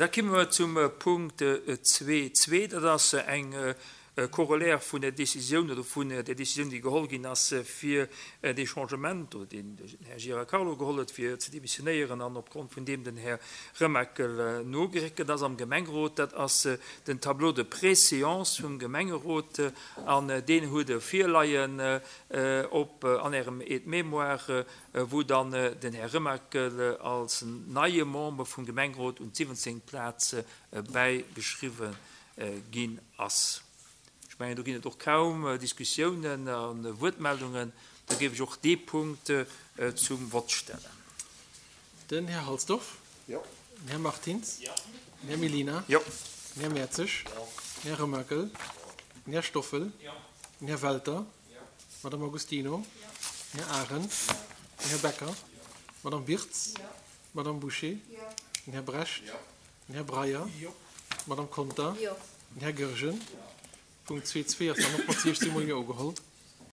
Da komme mer zum Punkt 2.2. Dat ass eng Corollaire vun der Décisioun oder vun der Décisioun, déi geholl ginn ass, fir dee Changement, oder deen den Här Gira Carlo geholl huet, fir ze demissionéieren an opgrond vun deem den Här Remakel nogeréckelt ass am Gemengerot. Dat ass den Tableau de préséance vum Gemengerot an deen hutt Der virleien op an Ärem Aide-mémoire, wou dann den Här Remakel als neie Member vum Gemengerot un d'siwwenzéngt Plaz bäigeschriwwen ginn ass. Ech mengen, do ginn et och kaum Diskussiounen a Wuertmeldungen. Da géif ech och dee Punkt zum Vott stellen. Den Här Halsdorf. Jo. Den Här Martins. Jo. Den Här Mellina. Jo. Den Här Mertzig. Jo. Den Här Remakel. Den Här Stoffel. Jo. Den Här Welter. Jo. D'Madame Agostino. Jo. Den Här Arendt. Jo. Den Här Becker. Jo. D'Madame Wirtz. Jo. D'Madame Bouché. Jo. Den Här Brecht. Jo. Den Här Breyer. Jo. D'Madame Conter. Jo. Den Här Goergen. Jo. Punkt 2.2 ass dann och mat 16 mol Jo ugeholl.